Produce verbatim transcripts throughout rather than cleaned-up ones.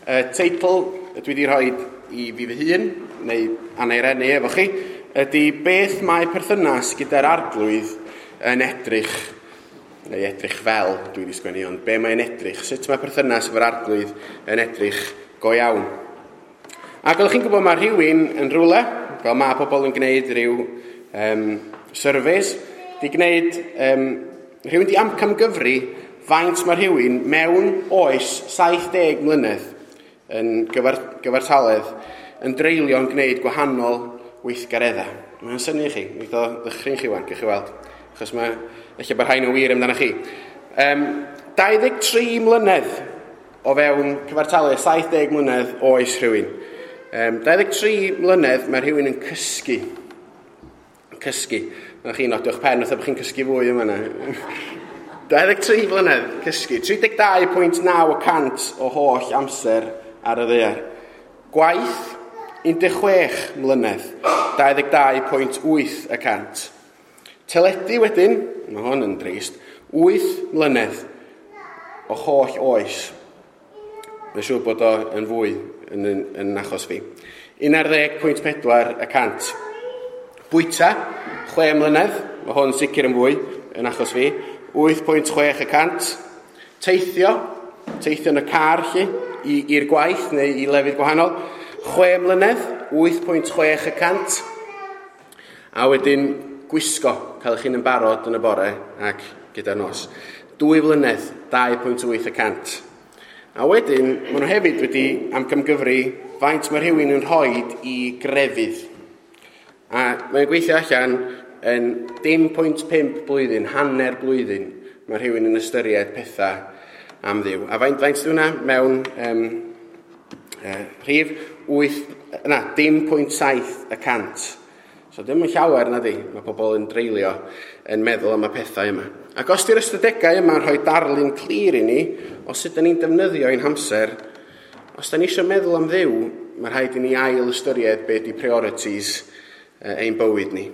Y teitl dwi wedi rhoi i fi fy hun, neu Anna Irene efo chi, ydy beth mae perthynas gyda'r arglwydd yn edrych, neu edrych fel dwi wedi sgwennu, ond be mae'n edrych, sut mae perthynas efo'r arglwydd yn edrych go iawn. Ac oeddech chi'n gwybod mae rhywun yn rhywle, fel mae pobl yn gwneud rhyw um, surveys, di gwneud, um, rhywun di amcamgyfri faint mae rhywun mewn oes saith deg mlynedd yn gyfar, gyfartaledd yn dreulio'n gwneud gwahanol weithgareddau. Mae'n synnu chi, wneud o ddychryn chi wan, gewch chi weld, achos mae, ella bod rhain yn wir amdano chi. Um, dau ddeg tri mlynedd o fewn cyfartaledd saith deg mlynedd oes rhywun. Um, dau ddeg tri mlynedd mae rhywun yn cysgu. Cysgu. Na chi nodio'ch pen, fatha bod chi'n cysgu fwy yma na. dau ddeg tri mlynedd cysgu. tri deg dau pwynt naw y cant o holl amser ar y ddaear. Gwaith, un deg chwech mlynedd, dau ddeg dau pwynt wyth y cant. Teledu wedyn, mae hwn yn drist, wyth mlynedd o holl oes. Mae'n siŵr bod o yn fwy yn, yn, yn achos fi. un ar ddeg pwynt pedwar y cant. Bwyta, chwe mlynedd, mae hwn sicr yn fwy yn achos fi, wyth pwynt chwech y cant. Teithio, teithio yn y car lly, i, i'r gwaith neu i lefydd gwahanol, chwe mlynedd, wyth pwynt chwech y cant. A wedyn gwisgo, cael eich hun yn barod yn y bore ac gyda'r nos. Dwy flynedd, dau pwynt wyth y cant. A wedyn, maen nhw hefyd wedi amcamgyfri faint mae rhywun yn rhoi i grefydd. A mae'n gweithio allan yn dim pwynt pump blwyddyn, hanner blwyddyn, mae rhywun yn ystyried pethau am Dduw. A faint, faint yw hwnna mewn um, uh, rhif wyth, na, dim pwynt saith y cant. So dim yn llawer na di, mae pobl yn dreulio yn meddwl am y pethau yma. Ac os di'r ystadegau yma'n rhoi darlun clir i ni o sut da ni'n defnyddio ein hamser, os da ni eisiau meddwl am Dduw, mae rhaid i ni ail ystyried be di priorities ein bywyd ni.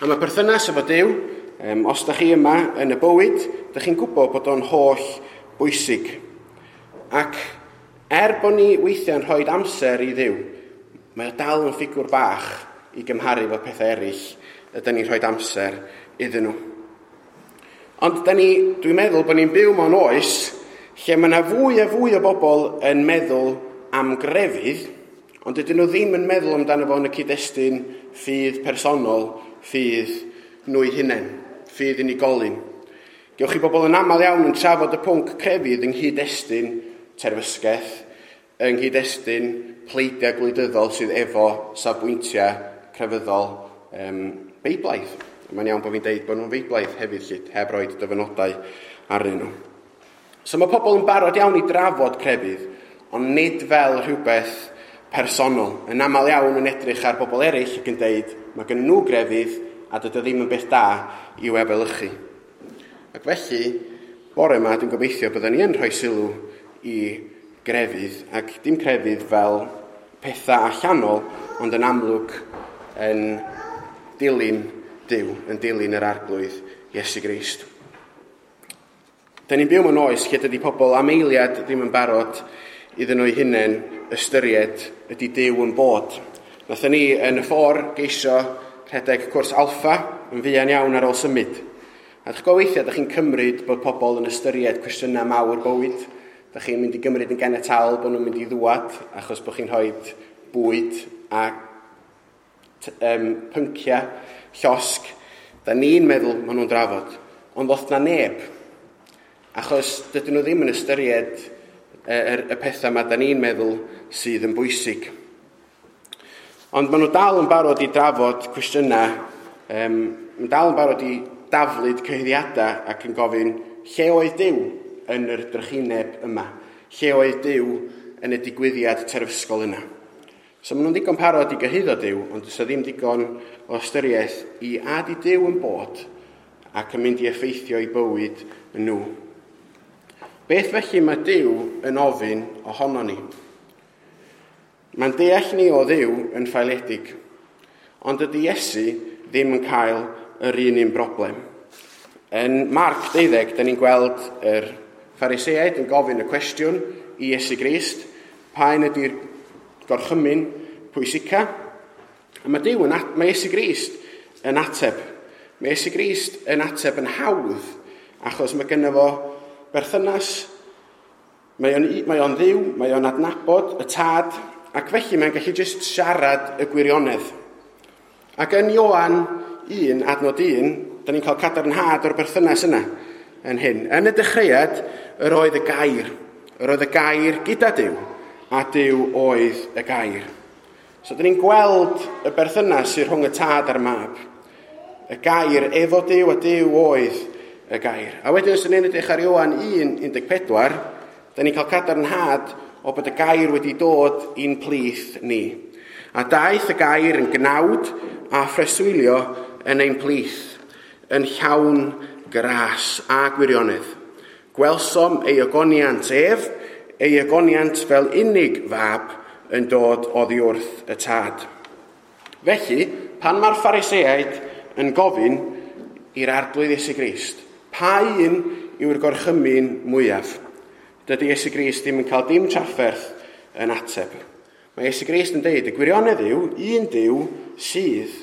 A mae perthynas efo Duw, um, os da chi yma yn y bywyd, da chi'n gwybod bod o'n holl bwysig. Ac er bod ni weithiau'n rhoi amser i Dduw, mae o dal yn ffigwr bach i gymharu efo pethau eraill ydyn ni'n rhoi amser iddyn nhw. Ond da ni, dwi'n meddwl bod ni'n byw mewn oes lle mae yna fwy a fwy o bobl yn meddwl am grefydd, ond dydyn nhw ddim yn meddwl amdano fo yn y cyd-destun ffydd personol, ffydd nhw eu hunain, ffydd unigolyn. Gewch chi bobl yn aml iawn yn trafod y pwnc crefydd yng nghyd-destun terfysgaeth, yng nghyd-destun pleidiau gwleidyddol sydd efo safbwyntiau crefyddol um, beiblaidd. Mae'n iawn bod fi'n deud bod nhw'n feiblaidd hefyd, lle, heb roed dyfynodau arnyn nhw. So mae pobl yn barod iawn i drafod crefydd, ond nid fel rhywbeth personol. Yn aml iawn yn edrych ar bobl eraill ac yn deud mae gen nhw grefydd a dydy o ddim yn beth da i'w efelychu. Ac felly, bore yma dwi'n gobeithio byddwn ni yn rhoi sylw i grefydd, ac dim crefydd fel pethau allanol, ond yn amlwg yn dilyn Duw, yn dilyn yr arglwydd Iesu Grist. Da ni'n byw mewn oes lle dydy pobl am eiliad ddim yn barod iddyn nhw eu hunain ystyried ydy Duw yn bod. Nathon ni yn y ffordd geisio rhedeg cwrs alfa yn fuan iawn ar ôl symud. A dych chi'n weithiau, dych chi'n cymryd bod pobl yn ystyried cwestiynau mawr bywyd. Dych chi'n mynd i gymryd yn ganiataol bod nhw'n mynd i ddwad achos bod chi'n rhoi bwyd a um, pynciau llosg. Da ni'n meddwl maen nhw'n drafod, ond ddoth na neb. Achos dydyn nhw ddim yn ystyried y, y, y pethau yma da ni'n meddwl sydd yn bwysig. Ond maen nhw dal yn barod i drafod cwestiynau, um, maen dal yn barod i daflud cyhuddiadau ac yn gofyn lle oedd Duw yn yr drychineb yma? Lle oedd Duw yn y digwyddiad terfysgol yna? So maen nhw'n ddigon parod i gyhuddo Duw, ond does ddim digon o ystyriaeth i a di Duw yn bod ac yn mynd i effeithio i bywyd nhw. Beth felly mae Duw yn ofyn ohono ni? Mae'n deall ni o Dduw yn ffaeledig, ond dydy Iesu ddim yn cael yr un un broblem. Yn Marc deuddeg, da ni'n gweld yr Phariseaid yn gofyn y cwestiwn i Iesu Grist, Pa un ydy'r gorchymyn pwysica? A mae Duw yn, mae Iesu Grist yn ateb. Mae Iesu Grist yn ateb yn hawdd, achos mae gynno fo berthynas, mae o'n, mae o'n Dduw, mae o'n adnabod y Tad, ac felly mae'n gallu jyst siarad y gwirionedd. Ac yn Ioan un, adnod un, da ni'n cael cadarnhad o'r berthynas yna yn hyn. Yn y dechreuad, yr oedd y gair. Yr oedd y gair gyda Duw, a Duw oedd y gair. So, da ni'n gweld y berthynas sydd rhwng y Tad a'r Mab. Y gair efo Duw, a Duw oedd y gair. A wedyn, os ni'n edrych ar Ioan un, un deg pedwar, da ni'n cael cadarnhad o bod y gair wedi dod i'n plith ni. A daeth y gair yn gnawd a phreswylio yn ein plith, yn llawn gras a gwirionedd. Gwelsom ei ogoniant ef, ei ogoniant fel unig fab yn dod oddi wrth y Tad. Felly, pan mae'r Phariseaid yn gofyn i'r Arglwydd Iesu Grist, pa un yw'r gorchymyn mwyaf? Dydy Iesu Grist ddim yn cael dim trafferth yn ateb. Mae Iesu Grist yn deud, y gwirionedd yw, un Duw sydd,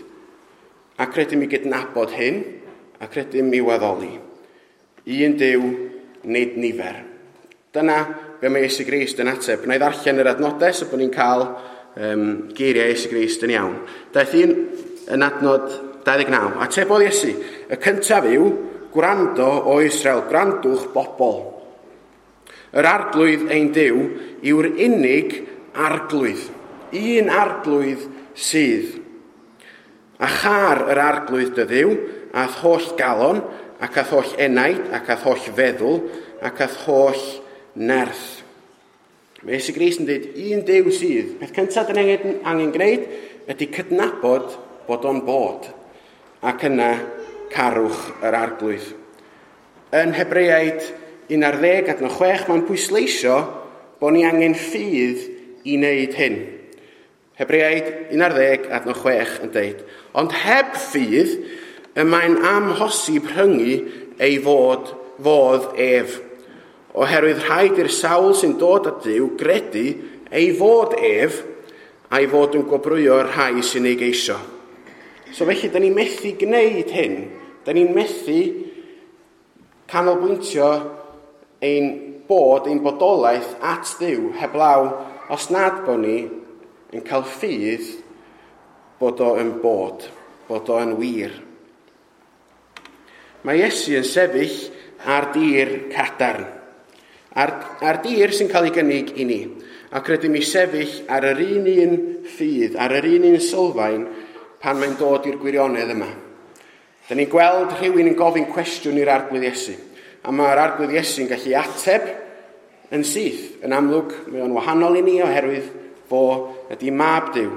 ac rydym i gydnabod hyn, ac rydym i waddoli. Un Duw, nid nifer. Dyna be mae Iesu Grist yn ateb. Na i ddarllen yr adnodau so bod ni'n cael um, geiriau Iesu Grist yn iawn. Daeth un yn adnod dau ddeg naw. Atebodd Iesu, y cyntaf yw, gwrando o Israel, gwrandwch bobl. Yr Arglwydd ein Duw yw'r unig arglwydd. Un arglwydd sydd. A char yr Arglwydd dy Dduw, a'th holl galon, ac a'th holl enaid, ac a'th holl feddwl, ac a'th holl nerth. Mae Iesu Grist yn dweud, un Duw sydd. Peth cyntaf dyn ni angen, angen gwneud ydy cydnabod bod o'n bod, ac yna carwch yr Arglwydd. Yn Hebreaid un ar ddeg adnod chwech, mae'n pwysleisio bod ni angen ffydd i wneud hyn. Hebreaid un ar ddeg adnod chwech yn dweud, ond heb ffydd, y mae'n amhosib rhyngu ei fod, fodd ef. Oherwydd rhaid i'r sawl sy'n dod at Dduw gredu ei fod ef, a'i fod yn gwobrwyo'r rhai sy'n ei geisio. So felly, da ni'n methu gwneud hyn. Da ni'n methu canolbwyntio ein bod, ein bodolaeth at Dduw heblaw os nad bod ni yn cael ffydd bod o yn bod, bod o yn wir. Mae Iesu yn sefyll ar dir cadarn, ar, ar dir sy'n cael ei gynnig i ni, ac rydym i sefyll ar yr un un ffydd, ar yr un un sylfaen pan mae'n dod i'r gwirionedd yma. Da ni'n gweld rhywun yn gofyn cwestiwn i'r Arglwydd Iesu, a mae'r Arglwydd Iesu'n gallu ateb yn syth. Yn amlwg, mae o'n wahanol i ni oherwydd fo ydy mab Duw,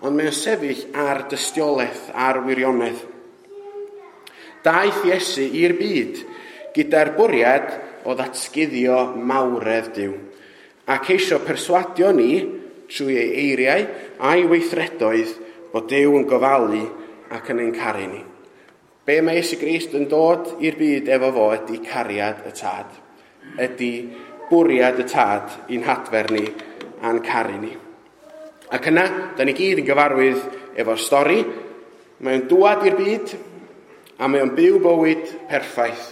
ond mae o'n sefyll ar dystiolaeth, ar wirionedd. Daeth Iesu i'r byd gyda'r bwriad o ddatguddio mawredd Duw, a ceisio perswadio ni trwy ei eiriau a'i weithredoedd bod Duw yn gofalu ac yn ein caru ni. Be mae Iesu Grist yn dod i'r byd efo fo ydy cariad y Tad, ydy bwriad y Tad i'n hadfer ni a'n caru ni. Ac yna, da ni gyd yn gyfarwydd efo'r stori. Mae'n dŵad i'r byd a mae o'n byw bywyd perffaith.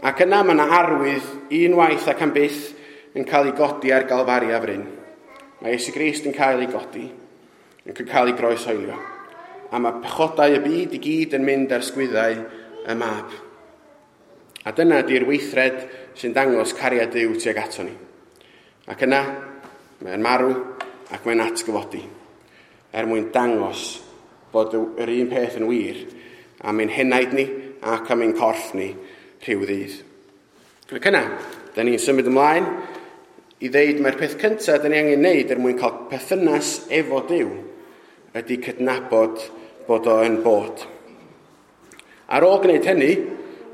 Ac yna mae yna arwydd unwaith ac am byth yn cael ei godi ar Galfaria fryn. Mae Iesu Grist yn cael ei godi, yn cael ei groeshoelio. A mae pechodau y byd i gyd yn mynd ar sgwyddau y mab. A dyna di'r weithred sy'n dangos cariad Duw tuag ato ni. Ac yna, mae'n marw ac mae'n atgyfodi, er mwyn dangos bod yr un peth yn wir am ein henaid ni ac am ein corff ni rhyw ddydd. Ac yna, da ni'n symud ymlaen i ddeud mae'r peth cyntaf da ni angen wneud er mwyn cael perthynas efo Duw ydy cydnabod bod o yn bod. Ar ôl gwneud hynny,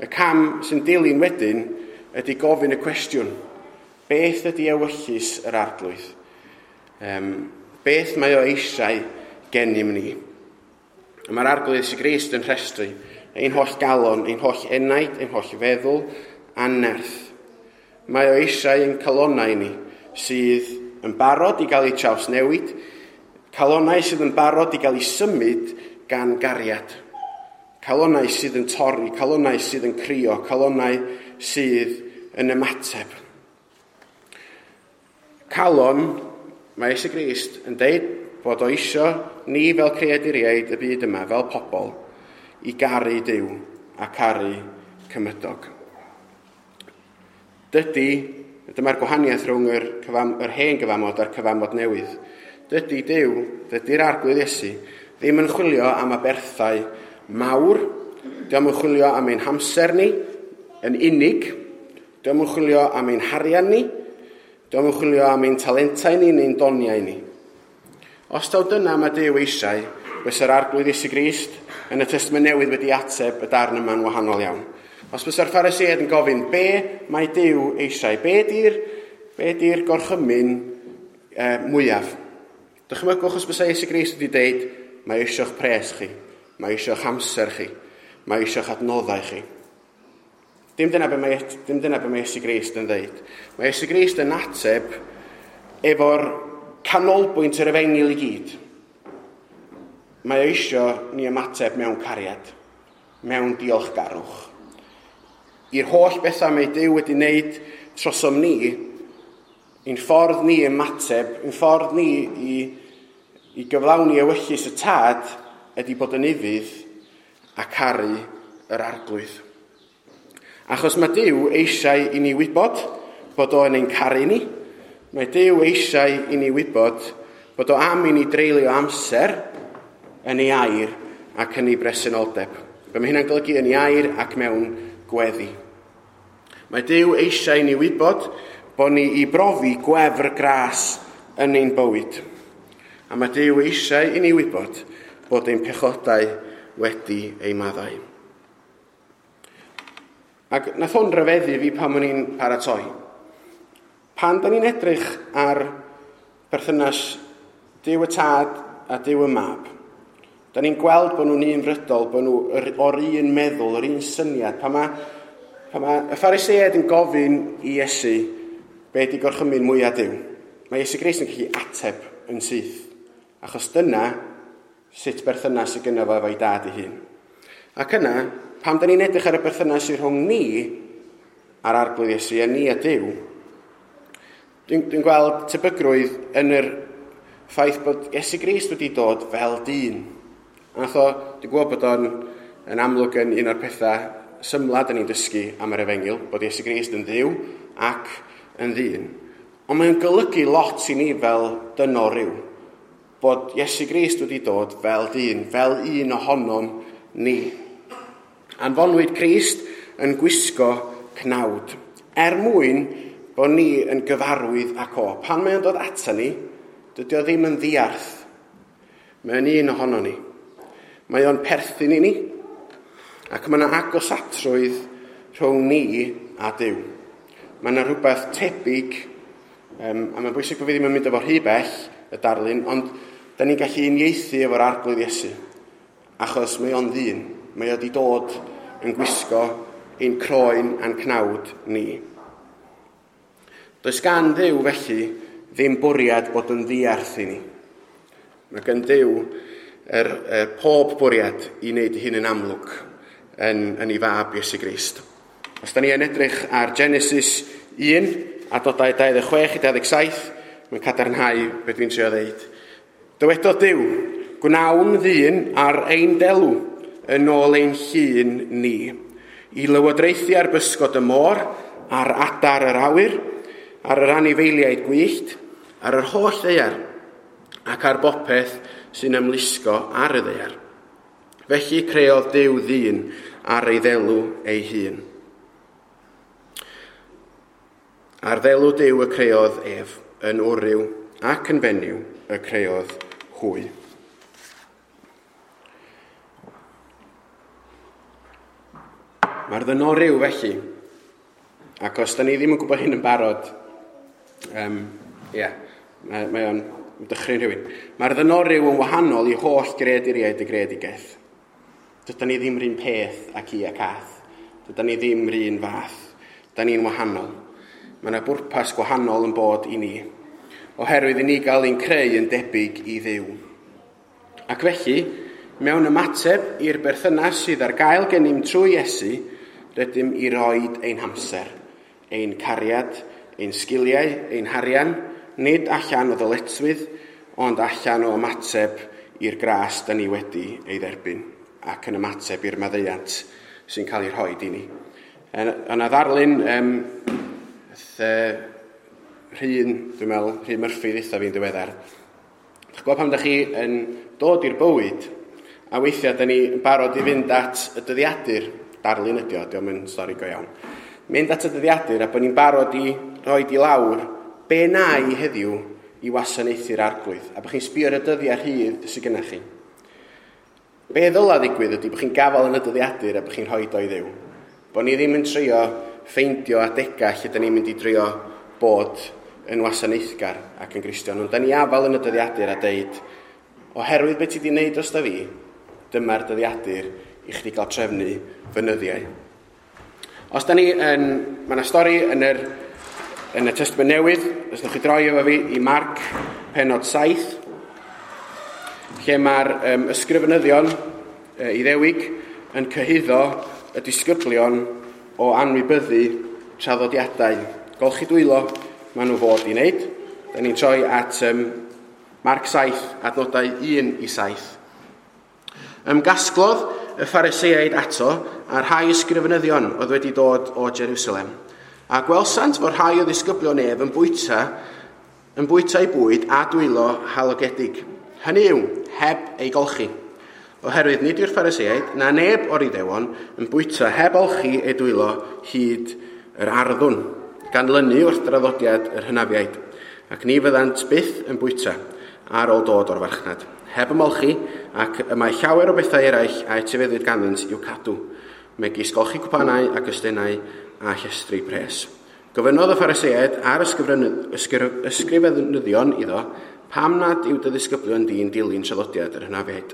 y cam sy'n dilyn wedyn ydy gofyn y cwestiwn, beth ydy ewyllys yr Arglwydd? Um, beth mae o eisiau gennym ni? A mae'r Arglwydd Iesu Grist yn rhestru ein holl galon, ein holl enaid, ein holl feddwl a nerth. Mae o eisiau ein calonau ni sydd yn barod i gael eu trawsnewid, calonnau sydd yn barod i gael eu symud gan gariad. Calonnau sydd yn torri, calonnau sydd yn crio, calonnau sydd yn ymateb. Calon, mae Iesu Grist yn deud bod o isio ni fel creaduriaid y byd yma, fel pobl, i garu Duw a caru cymydog. Dydy, dyma'r gwahaniaeth rhwng yr, cyfam, yr hen gyfamod a'r cyfamod newydd. Dydy Duw, dydy'r Arglwydd Iesu, ddim yn chwilio am aberthau mawr, dio'm yn chwilio am ein hamser ni yn unig, dio'm yn chwilio am ein harian ni, dio'm yn chwilio am ein talentau ni neu'n doniau ni. Os taw dyna mae Duw eisiau, fysa'r Arglwydd Iesu Grist yn y Testament Newydd wedi ateb y darn yma'n wahanol iawn. Os fysa'r Phariseaid yn gofyn, be mae Duw eisiau? Be di'r, be di'r gorchymyn e, mwyaf? Dychmygwch os bysa Iesu Grist wedi deud, mae eisiau'ch pres chi, mae eisiau'ch amser chi, mae eisiau'ch adnoddau chi. Dim dyna be mae, dim dyna be mae Iesu Grist yn ddeud. Mae Iesu Grist yn ateb efo'r canolbwynt yr efengyl i gyd. Mae eisiau ni ymateb mewn cariad, mewn diolchgarwch. I'r holl bethau mae Duw wedi wneud trosom ni, ein ffordd ni ymateb, ein ffordd ni i, i gyflawni ewyllys y Tad ydy bod yn ufudd a caru yr Arglwydd. Achos mae Duw eisiau i ni wybod bod o'n ein caru ni. Mae Duw eisiau i ni wybod bod o am i ni dreulio amser yn ei air ac yn ei bresenoldeb. Be mae hynna'n golygu yn ei air ac mewn gweddi. Mae Duw eisiau i ni wybod bod ni i brofi gwefr gras yn ein bywyd. A mae Duw eisiau i ni wybod bod ein pechodau wedi ei maddau. Ac nath hwn ryfeddu fi pan o'n i'n paratoi. Pan da ni'n edrych ar perthynas Duw y Tad a Duw y Mab, da ni'n gweld bod nhw'n unfrydol, bod nhw o'r un meddwl, yr un syniad. Pan mae, pan mae y Phariseaid yn gofyn i Iesu be di gorchymyn mwyaf Duw, mae Iesu Grist yn gallu ateb yn syth. Achos dyna sut berthynas sydd gynno fo efo'i dad ei hun. Ac yna, pan da ni'n edrych ar y berthynas sydd rhwng ni a'r Arglwydd Iesu a ni a Duw, dwi'n dwi gweld tebygrwydd yn yr ffaith bod Iesu Grist wedi dod fel dyn. A nath o, dwi'n gwybod bod o'n yn amlwg yn un o'r pethau symla da ni'n dysgu am yr efengyl, bod Iesu Grist yn Dduw ac yn ddyn. Ond mae'n golygu lot i ni fel dynol ryw, bod Iesu Grist wedi dod fel dyn, fel un ohonom ni. Anfonwyd Crist yn gwisgo cnawd, er mwyn bod ni yn gyfarwydd ac o. Pan mae'n dod ata ni, dydy o ddim yn ddiarth. Mae'n un ohono ni. Mae o'n perthyn i ni, ac mae yna agosatrwydd rhwng ni a Duw. Mae yna rhywbeth tebyg, um, a mae'n bwysig bod fi ddim yn mynd efo rhy bell, y darlun, ond da ni'n gallu uniaethu efo'r Arglwydd Iesu, achos mae o'n ddyn. Mae o wedi dod yn gwisgo ein croen a'n cnawd ni. Does gan Dduw felly ddim bwriad bod yn ddiarth i ni. Mae gan Dduw yr, yr pob bwriad i wneud hyn yn amlwg yn, yn ei fab Iesu Grist. Os da ni yn edrych ar Genesis un, adnodau dau ddeg chwech i dau ddeg saith, mae'n cadarnhau beth dwi'n trio ddeud. Dywedodd Duw, gwnawn ddyn ar ein delw yn ôl ein llun ni, i lywodraethu ar bysgod y môr, ar adar yr awyr, ar yr anifeiliaid gwyllt, ar yr holl ddaear, ac ar bopeth sy'n ymlusgo ar y ddaear. Felly creodd Duw ddyn ar ei ddelw ei hun. Ar ddelw Duw y creodd ef, yn wryw ac yn fenyw y creodd hwy. Mae'r ddynol ryw felly, ac os da ni ddim yn gwybod hyn yn barod, um, yeah, mae, mae o'n dychryn rhywun. Mae'r ddynol ryw yn wahanol i holl greaduriaid y greadigaeth. Dydan ni ddim yr un peth ac i ac ath. Dydan ni ddim yr un fath. Da ni'n wahanol. Mae yna bwrpas gwahanol yn bod i ni. oherwydd i ni gael ein creu yn debyg i Dduw. Ac felly, mewn ymateb i'r berthynas sydd ar gael gennym trwy Iesu, rydym i roed ein hamser, ein cariad, ein sgiliau, ein harian, nid allan o ddyletswydd, ond allan o ymateb i'r gras da ni wedi ei dderbyn ac yn ymateb i'r maddeuant sy'n cael ei rhoi i ni. Yna ddarlun, um, Rhun, dwi'n meddwl, Rhun Murphy ddeitha fi'n ddiweddar. Dych gwybod pam ydych chi yn dod i'r bywyd, a weithiau da ni yn barod i fynd at y dyddiadur, darlun ydi o, dio'm yn stori go iawn. Mynd at y dyddiadur a bod ni'n barod i roi i lawr be na i heddiw i wasanaethu'r Arglwydd, a bod chi'n sbio ar y dyddiau rhydd sydd gennych chi. Be ddyla ddigwydd ydy bod chi'n gafael yn y dyddiadur a bod chi'n rhoi o i Dduw. Bod ni ddim yn trio ffeindio adegau lle da ni'n mynd i drio bod yn wasanaethgar ac yn Gristion, ond da ni afal yn y dyddiadur a deud, oherwydd beth ti wedi wneud dros da fi, dyma'r dyddiadur i chdi gael trefnu fy nyddiau. Os da ni yn, mae yna stori yn yr, yn y Testament Newydd, os wnewch chi droi efo fi i Marc pennod saith, lle mae'r um, ysgrifenyddion uh, Iddewig yn cyhuddo y disgyblion o anwybyddu traddodiadau. Golchi dwylo maen nhw fod i wneud. Da ni'n troi at um, Marc saith, adnodau un i saith. Ymgasglodd y Phariseaid ato a'r rhai ysgrifenyddion oedd wedi dod o Jerusalem. A gwelsant fod rhai o ddisgyblion ef yn bwyta, yn bwyta ei bwyd a dwylo halogedig. Hynny yw, heb ei golchi. Oherwydd nid yw'r Phariseaid na neb o'r Iddewon yn bwyta heb olchi ei dwylo hyd yr arddwn, gan lynu wrth draddodiad yr hynafiaid, ac ni fyddant byth yn bwyta ar ôl dod o'r farchnad, heb ymolchi, ac y mae llawer o bethau eraill a etifeddwyd ganddynt i'w cadw, megis golchi cwpanau ac ystennau a llestri pres. Gofynnodd y Phariseaid a'r ysgrifenyddion iddo, pam nad yw dy ddisgyblion di'n dilyn traddodiad yr hynafiaid,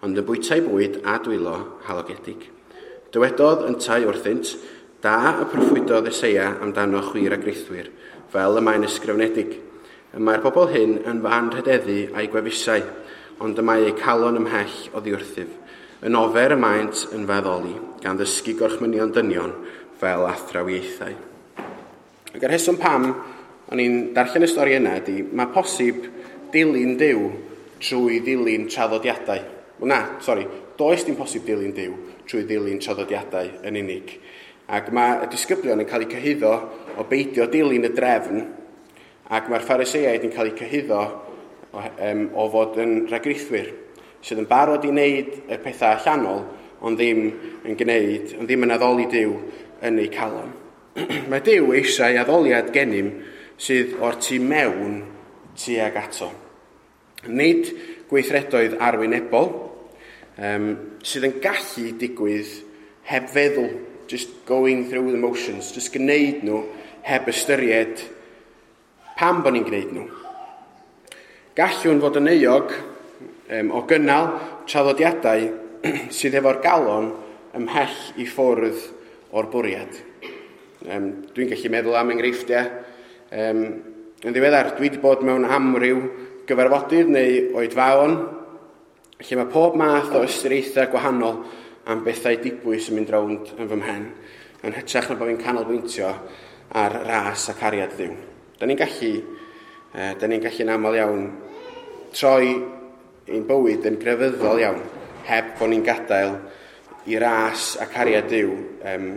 ond yn bwytau bwyd a dwylo halogedig. Dywedodd yntau wrthynt, da y proffwydodd Eseia amdano chwi ragreithwyr, fel y mae'n ysgrifenedig. Y mae'r bobl hyn yn fy anrhydeddu a'i gwefusau, ond y mae eu calon ymhell oddi wrthyf. Yn ofer y maent yn feddoli, gan ddysgu gorchmynion dynion fel athrawiaethau. Ac yr rheswm pam o'n i'n darllen y stori yna ydy, mae posib dilyn Duw trwy ddilyn traddodiadau. Wel na, sori, does dim posib dilyn Duw trwy ddilyn traddodiadau yn unig. Ac mae y disgyblion yn cael eu cyhuddo o beidio dilyn y drefn, ac mae'r Phariseaid yn cael eu cyhuddo o, um, o fod yn rhagrithwyr, sydd yn barod i wneud y pethau allanol, ond ddim yn gwneud, ond ddim yn addoli Duw yn eu calon. Mae Duw eisiau addoliad gennym sydd o'r tu mewn tuag ato. Nid gweithredoedd arwynebol, um, sydd yn gallu digwydd heb feddwl, just going through the motions, just gwneud nhw heb ystyried pam bod ni'n gwneud nhw. Gallwn fod yn euog um, o gynnal traddodiadau sydd efo'r galon ymhell i ffwrdd o'r bwriad. Um, dwi'n gallu meddwl am enghreifftiau. Um, yn ddiweddar, dwi wedi bod mewn amryw gyfarfodydd neu oedfaon, lle mae pob math o ystyriaethau gwahanol am bethau dibwys yn mynd rownd yn fy mhen, yn hytrach na bod fi'n canolbwyntio ar ras a cariad Dduw. Da ni'n gallu, eh, da ni'n gallu'n aml iawn troi ein bywyd yn grefyddol iawn, heb bod ni'n gadael i ras a cariad Duw um,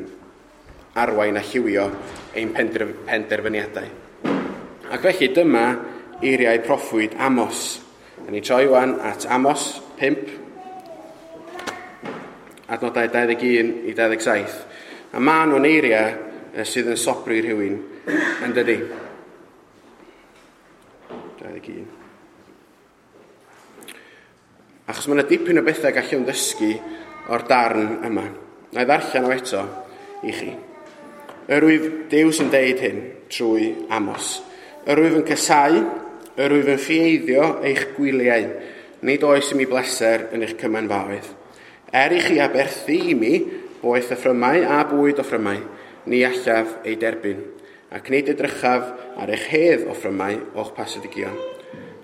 arwain a lliwio ein penderfyniadau. Ac felly dyma eiriau proffwyd Amos. Da ni'n troi wan at Amos pump, adnodau dau ddeg un i dau ddeg saith. A maen nhw'n eiriau sydd yn sobri rhywun yn dydi. dau ddeg un. Achos mae yna dipyn o bethau gallwn ddysgu o'r darn yma. Na i ddarllen o eto i chi. Yr wyf Duw sy'n deud hyn trwy Amos. Yr wyf yn casáu, yr wyf yn ffieiddio eich gwyliau. Nid oes i mi bleser yn eich cymanfaoedd. Er i chi aberthu i mi boeth offrymau a bwyd offrymau, ni allaf ei derbyn. ac nid edrychaf ar eich hedd offrymau o'ch pasedigion.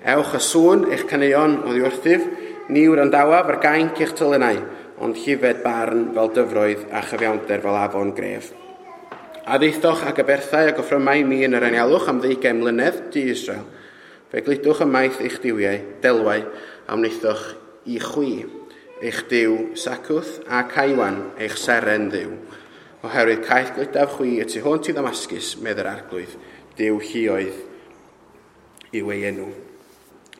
Ewch a sŵn eich caneuon oddi wrthyf, ni wrandawaf ar gainc eich telynau, ond llifed barn fel dyfroedd a chyfiawnder fel afon gref. A ddeithoch ag aberthau ac offrymau mi yn yr anialwch am ddeugain mlynedd, di Israel. Fe gludwch ymaith eich duwiau, delwau, a wnaethoch i chwi, eich Duw Sacwth a Caiwan, eich seren ddiw. Oherwydd caeth gludaf chwi y tu hwnt i Ddamascus, medd yr arglwydd, Duw lluoedd yw ei enw.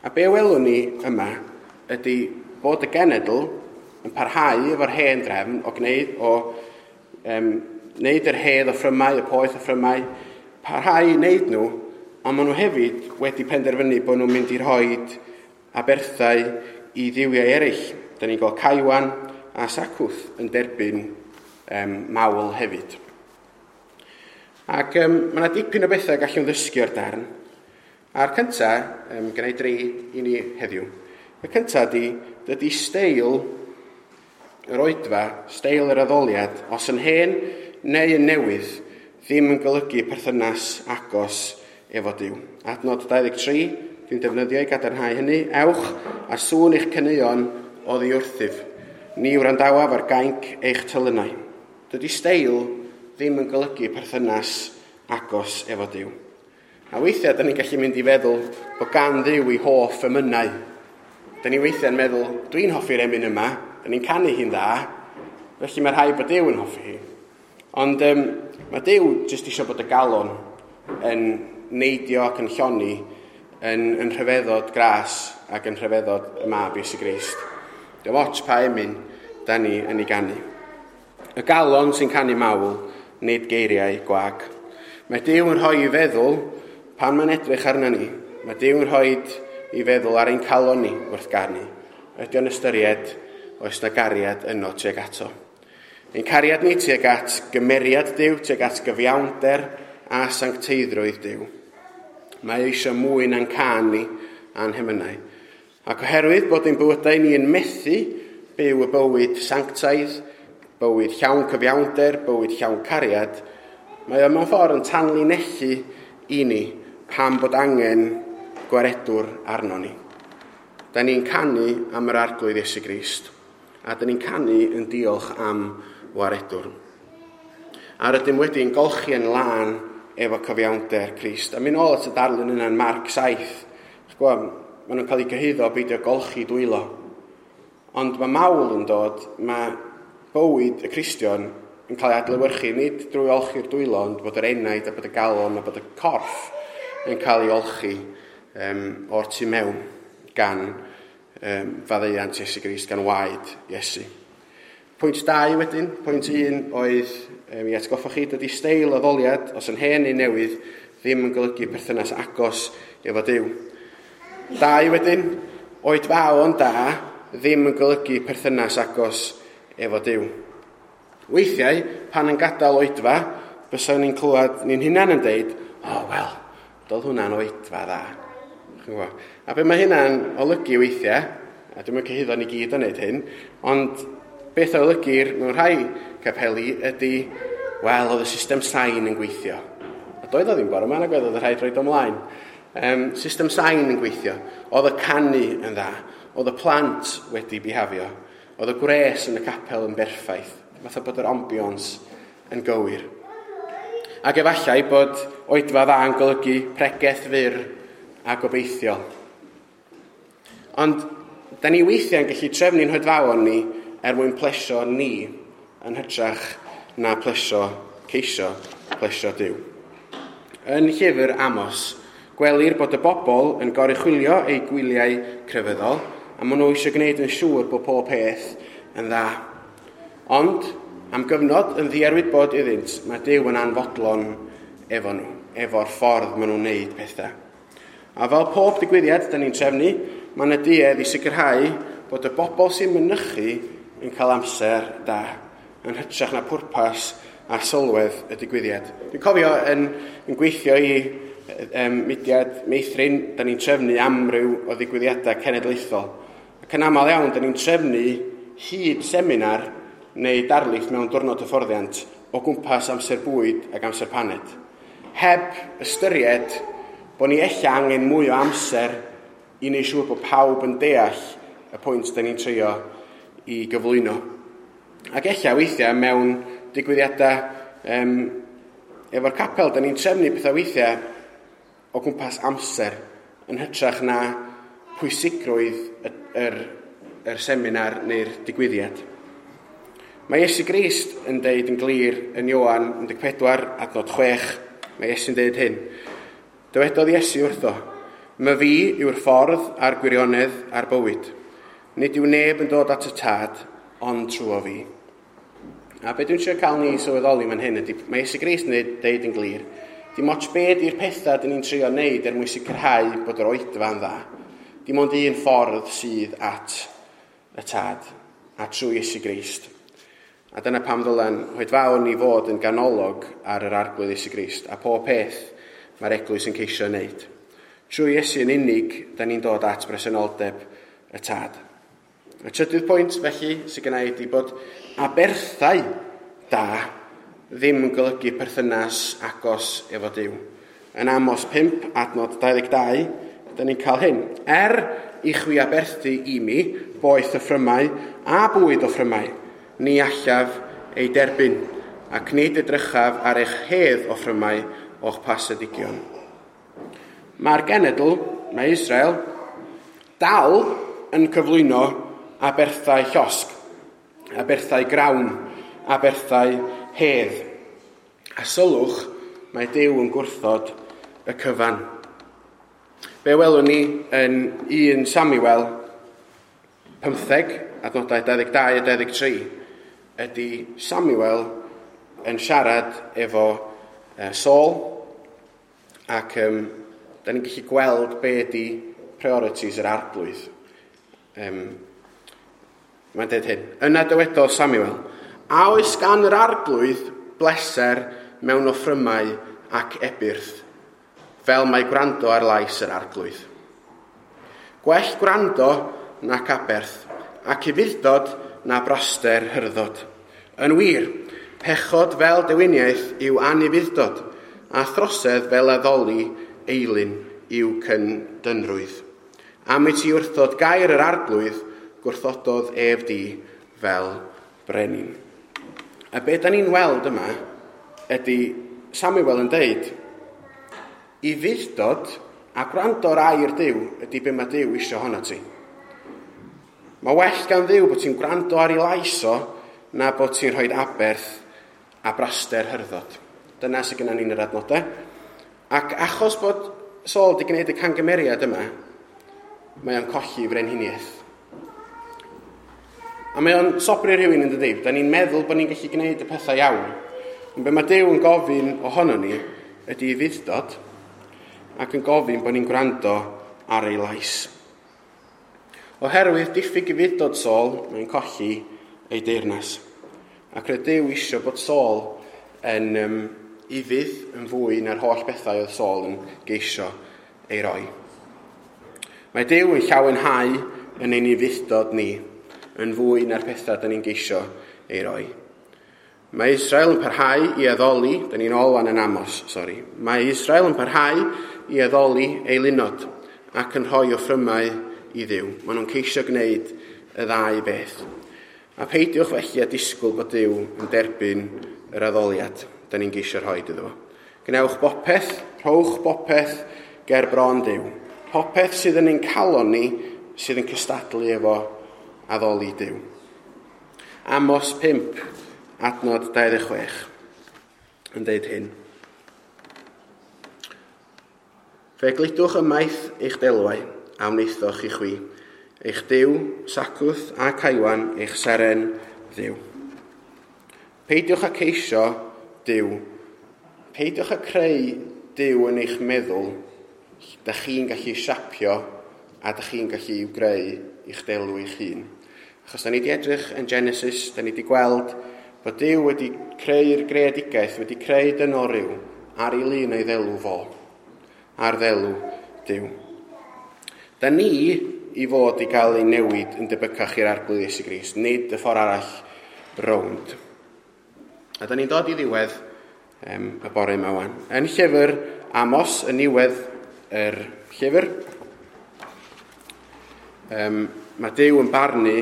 A be welwn ni yma ydy bod y genedl yn parhau efo'r hen drefn o gwneud o um, wneud yr hedd offrymau, y poeth offrymau, parhau i wneud nhw, ond maen nhw hefyd wedi penderfynu bod nhw'n mynd i rhoi aberthau i dduwiau eraill. Da ni'n gweld Caiwan a Sacwth yn derbyn um, mawl hefyd. Ac um, mae yna dipyn o bethau gallwn ddysgu o'r darn. A'r cyntaf, um, gen i dri i ni heddiw. Y cyntaf ydy, dydy steil yr oedfa, steil yr addoliad, os yn hen neu yn newydd, ddim yn golygu perthynas agos efo Duw. Adnod dau ddeg tri, dwi'n defnyddio i gadarnhau hynny. Ewch a sŵn eich caneuon oddi wrthyf. Ni wrandawaf ar gainc eich telynau. Dydy steil ddim yn golygu perthynas agos efo Duw. A weithiau, da ni'n gallu mynd i feddwl bod gan Dduw ei hoff emynau. Da ni weithiau'n meddwl, dwi'n hoffi'r emyn yma, da ni'n canu hi'n dda, felly mae rhaid bod Duw yn hoffi hi. Ond um, mae Duw jyst eisiau bod y galon yn neidio ac yn lloni yn, yn rhyfeddod gras ac yn rhyfeddod y mab Iesu Grist. Dim ots pa emyn da ni yn ei ganu. Y galon sy'n canu mawl, nid geiriau gwag. Mae Duw yn rhoi i feddwl pan mae'n edrych arna ni. Mae Duw yn rhoi i feddwl ar ein calon ni wrth ganu. Ydy o'n ystyried oes na gariad yno tuag ato. Ein cariad ni tuag at gymeriad Duw, tuag at gyfiawnder a sancteiddrwydd Duw. Mae eisiau mwy na'n cân ni a'n hemynau. Ac oherwydd bod ein bywydau ni yn methu byw y bywyd sanctaidd, bywyd llawn cyfiawnder, bywyd llawn cariad, mae o mewn ffordd yn tanlinellu i ni pam bod angen gwaredwr arno ni. Da ni'n canu am yr Arglwydd Iesu Grist, a da ni'n canu yn diolch am waredwr. A rydym wedi'n golchi yn lân efo cyfiawnder Crist. A mynd ôl at y darlun yna'n Marc saith. Gwybod, maen nhw'n cael eu cyhuddo beidio golchi dwylo. Ond mae mawl yn dod, mae bywyd y Cristion yn cael ei adlewyrchu, nid drwy olchi'r dwylo, ond bod yr enaid a bod y galon a bod y corff yn cael ei olchi um, o'r tu mewn gan um, faddeuant Iesu Grist, gan waed Iesu. Pwynt dau wedyn, pwynt un oedd um, i atgoffa chi, dydy steil addoliad, os yn hen neu newydd, ddim yn golygu perthynas agos efo Duw. Dau wedyn, oedfaon da ddim yn golygu perthynas agos efo Duw. Weithiau, pan yn gadael oedfa, bysa ni'n clywed ni'n hunan yn deud, o, oh, wel, doedd hwnna'n oedfa dda. A be mae hynna'n olygu weithiau, a dwi'm yn cyhuddo ni gyd o wneud hyn, ond beth o olygir mewn rhai capeli ydy, wel, oedd y system sain yn gweithio. A doedd o ddim bore yma, nag oedd, oedd rhaid roed ymlaen. Um, system sain yn gweithio. Oedd y canu yn dda. Oedd y plant wedi bihafio. Oedd y gwres yn y capel yn berffaith. Fatha bod yr ambiance yn gywir. Ac efallai bod oedfa dda yn golygu pregeth fyr a gobeithiol. Ond, da ni weithiau'n gallu trefnu'n hoedfaon ni er mwyn plesio ni yn hytrach na plesio, ceisio, plesio Duw. Yn llyfr Amos, gwelir bod y bobl yn goruchwylio eu gwyliau crefyddol a maen nhw eisiau gwneud yn siŵr bod pob peth yn dda. Ond, am gyfnod yn ddiarwybod iddynt, mae Duw yn anfodlon efo nhw, efo'r ffordd maen nhw'n wneud pethau. A fel pob digwyddiad da ni'n trefnu, mae yna duedd i sicrhau bod y bobl sy'n mynychu yn cael amser da, yn hytrach na pwrpas a sylwedd y digwyddiad. Dwi'n cofio yn, yn gweithio i um, mudiad meithrin, da ni'n trefnu amryw o ddigwyddiadau cenedlaethol. Ac yn aml iawn, da ni'n trefnu hyd seminar neu darlith mewn diwrnod hyfforddiant o gwmpas amser bwyd ac amser paned. Heb ystyried bod ni ella angen mwy o amser i wneud siŵr bod pawb yn deall y pwynt da ni'n trio i gyflwyno. Ac ella weithiau mewn digwyddiadau um, efo'r capel, da ni'n trefnu pethau weithiau o gwmpas amser yn hytrach na pwysigrwydd yr, yr, yr seminar neu'r digwyddiad. Mae Iesu Grist yn deud yn glir yn Ioan un deg pedwar adnod chwech. Mae Iesu'n deud hyn. Dywedodd Iesu wrtho, "My fi yw'r ffordd a'r gwirionedd a'r bywyd. Nid yw neb yn dod at y tad, ond trwy fi." A be dwi'n trio cael ni sylweddoli fan hyn ydy, mae Iesu Grist yn deud yn glir, dim ots be di'r pethau dyn ni'n trio wneud er mwyn sicrhau bod yr oedfa'n dda. Dim ond un ffordd sydd at y tad, a trwy Iesu Grist. A dyna pam ddylen oedfaon ni fod yn ganolog ar yr Arglwydd Iesu Grist, a pob peth mae'r eglwys yn ceisio wneud. Trwy Iesu yn unig, da ni'n dod at bresenoldeb y tad. Y trydydd pwynt, felly, sydd gen i ydy bod aberthau da ddim yn golygu perthynas agos efo Duw. Yn Amos pump, adnod dau ddeg dau, da ni'n cael hyn. Er i chwi aberthu i mi, boeth o ffrymau a bwyd o ffrymau, ni allaf ei derbyn, ac nid edrychaf ar eich hedd o ffrymau o'ch pasedigion. Mae'r genedl, mae Israel, dal yn cyflwyno aberthau llosg, aberthau grawn, aberthau hedd. A sylwch, mae Duw yn gwrthod y cyfan. Be welwn ni yn un Samuel pymtheg, adnodau dau ddeg dau a dau ddeg tri, ydy Samuel yn siarad efo Saul, ac um, da ni'n gallu gweld be ydy priorities yr Arglwydd. Um, mae'n dweud hyn. Yna dywedodd Samuel, a oes gan yr Arglwydd bleser mewn offrymau ac ebyrth, fel mae gwrando ar lais yr Arglwydd. Gwell gwrando nac aberth, ac ufudd-dod na braster hyrddod. Yn wir, pechod fel dewiniaeth yw anufudd-dod, a throsedd fel addoli eilun yw cyndynrwydd. Am i ti wrthod gair yr Arglwydd, gwrthododd ef di fel brenin. A be da ni'n weld yma ydy Samuel yn deud, ufudd-dod a gwrando ar air Duw ydy be mae Duw isio honno ti. Mae well gan Dduw bod ti'n gwrando ar ei lais o na bod ti'n rhoi aberth a braster hyrddod. Dyna sydd gennym ni'n yr adnodau. Ac achos bod Saul wedi gwneud y cangymeriad yma, mae o'n colli frenhiniaeth. A mae o'n sobri rhywun yn dydi. Da ni'n meddwl bod ni'n gallu gwneud y pethau iawn. Ond be mae Duw yn gofyn ohono ni ydy ufudd-dod ac yn gofyn bod ni'n gwrando ar ei lais. Oherwydd diffyg ufudd-dod Saul, mae'n colli ei deyrnas. Ac roedd Duw isio bod Saul yn um, ufudd yn fwy na'r holl bethau oedd Saul yn geisio ei roi. Mae Duw yn llawenhau yn ein ufudd-dod ni, yn fwy na'r pethau da ni'n geisio ei roi. Mae Israel yn parhau i addoli, da ni'n ôl wan yn Amos, sori. Mae Israel yn parhau i addoli eilunod ac yn rhoi offrymau i Dduw. Maen nhw'n ceisio gwneud y ddau beth. A peidiwch felly a disgwyl bod Duw yn derbyn yr addoliad da ni'n geisio rhoi iddo fo. Gwnewch bopeth, rhowch bopeth ger bron Duw. Popeth sydd yn ein calon ni sydd yn cystadlu efo addoli Duw. Amos pump, adnod dau ddeg chwech, yn deud hyn. Fe gludwch ymaith eich delwau a wnaethoch i chwi, eich Duw, Sacwth a Caiwan, eich seren Dduw. Peidiwch â ceisio Duw. Peidiwch â creu Duw yn eich meddwl. Da chi'n gallu siapio a da chi'n gallu i'w greu i'ch delw eich hun. Achos da ni wedi edrych yn Genesis, da ni wedi gweld bod Duw wedi creu'r greadigaeth, wedi creu dynol ryw ar ei lun a'i ddelw fo, ar ddelw Duw. Da ni i fod i gael ei newid yn debycach i'r Arglwydd Iesu Grist, nid y ffordd arall rownd. A da ni'n dod i ddiwedd um, y bore yma wan. Yn llyfr Amos, yn niwedd yr llyfr, um, mae Duw yn barnu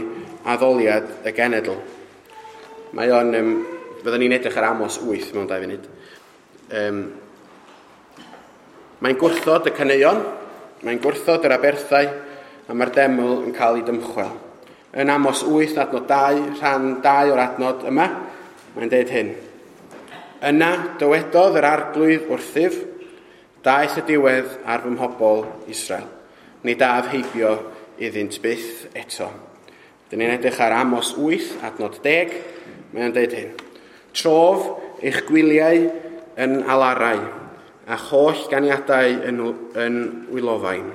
addoliad y genedl. Mae o'n, um, fyddwn ni'n edrych ar Amos wyth mewn dau funud. Um, mae'n gwrthod y caneuon, mae'n gwrthod yr aberthau, a mae'r deml yn cael ei dymchwel. Yn Amos wyth, adnod dau, rhan dau o'r adnod yma, mae'n deud hyn. Yna dywedodd yr arglwydd wrthyf, daeth y diwedd ar fy mhobl Israel. Nid af heibio iddynt byth eto. Dyn ni'n edrych ar Amos wyth, adnod deg, mae'n deud hyn. Trof eich gwyliau yn alarau, a holl ganiadau yn, yn wylofain.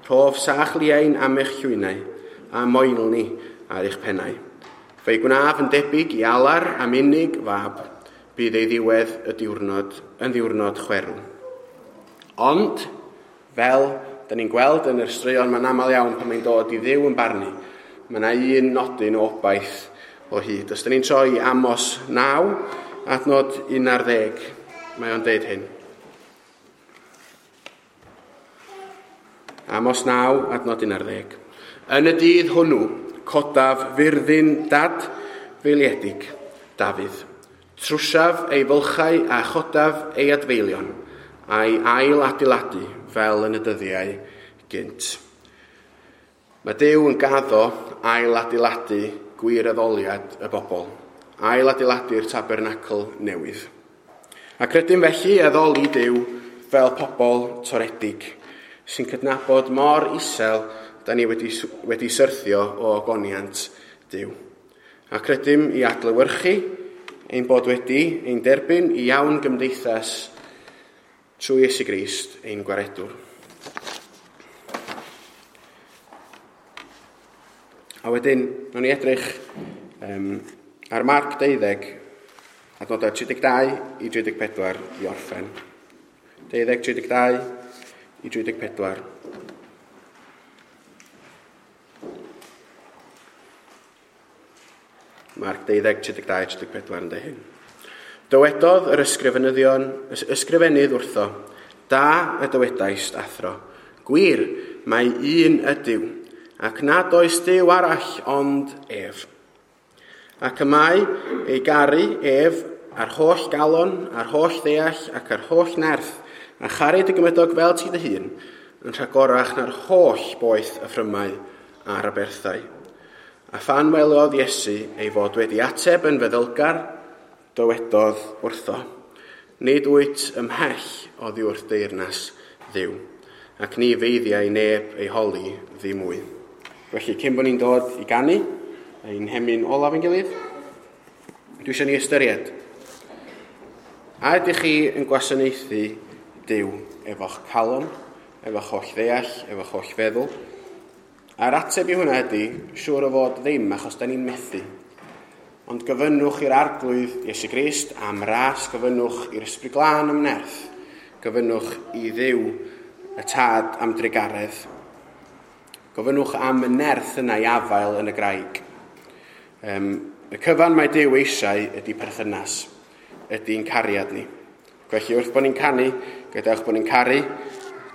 Rhof sach liain am eich llwynau, a moelni ar eich pennau. Fe'i gwnaf yn debyg i alar am unig fab, bydd ei ddiwedd y diwrnod yn ddiwrnod chwerw. Ond, fel da ni'n gweld yn yr straeon, mae'n aml iawn pan mae'n dod i Dduw yn barnu, mae yna un nodyn o obaith o hyd. Os da ni'n troi Amos naw, adnod un ar ddeg, mae o'n deud hyn. Amos naw, adnod un ar ddeg. Yn y dydd hwnnw, codaf fyrddin dad feiliedig Dafydd. Trwsiaf ei fylchau a chodaf ei adfeilion, a'i ail adeiladu fel yn y dyddiau gynt. Mae Duw yn gaddo ail adeiladu gwir addoliad y bobl, ail adeiladu'r tabernacl newydd. Ac rydym felly addoli Duw fel pobl toredig, sy'n cydnabod mor isel da ni wedi, wedi syrthio o ogoniant Duw. Ac rydym i adlewyrchu ein bod wedi ein derbyn i iawn gymdeithas trwy Iesu Grist ein gwaredwr. A wedyn, nawn ni edrych um, ar Marc deuddeg, adnodau tri deg dau i tri deg pedwar i orffen. Deuddeg, tri deg dau i tri deg pedwar. Marc deuddeg, tri deg dau, tri deg pedwar yn dweud hyn. Dywedodd yr ysgrifenyddion, ysgrifennydd wrtho, da y dywedaist, athro, gwir, mae un ydyw, ac nad oes Duw arall ond ef. Ac y mae ei garu ef ar holl galon, ar holl ddeall ac ar holl nerth, a charu dy gymydog fel ti dy hun, yn rhagorach na'r holl boeth y ffrymau a'r aberthau. A phan welodd Iesu ei fod wedi ateb yn feddylgar, dywedodd wrtho, nid wyt ymhell oddi wrth deyrnas Dduw, ac ni feiddiai neb ei holi ddim mwy. Felly, cyn bod ni'n dod i ganu, ein hemyn olaf yn gilydd, dwi eisiau ni ystyried. A ydych chi yn gwasanaethu Duw efo'ch calon, efo'ch holl ddeall, efo'ch holl feddwl? A'r ateb i hwnna ydy, siŵr o fod ddim, achos da ni'n methu. Ond gofynnwch i'r Arglwydd Iesu Grist am ras, gofynnwch i'r Ysbryd Glân am nerth, gofynnwch i Dduw y Tad am drugaredd. Gofynnwch am y nerth yna i afael yn y graig. Um, y cyfan mae Duw eisiau ydy perthynas, ydy'n cariad ni. Felly wrth bod ni'n canu, gadewch bod ni'n caru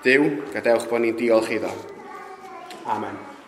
Duw, gadewch bod ni'n diolch iddo. Amen.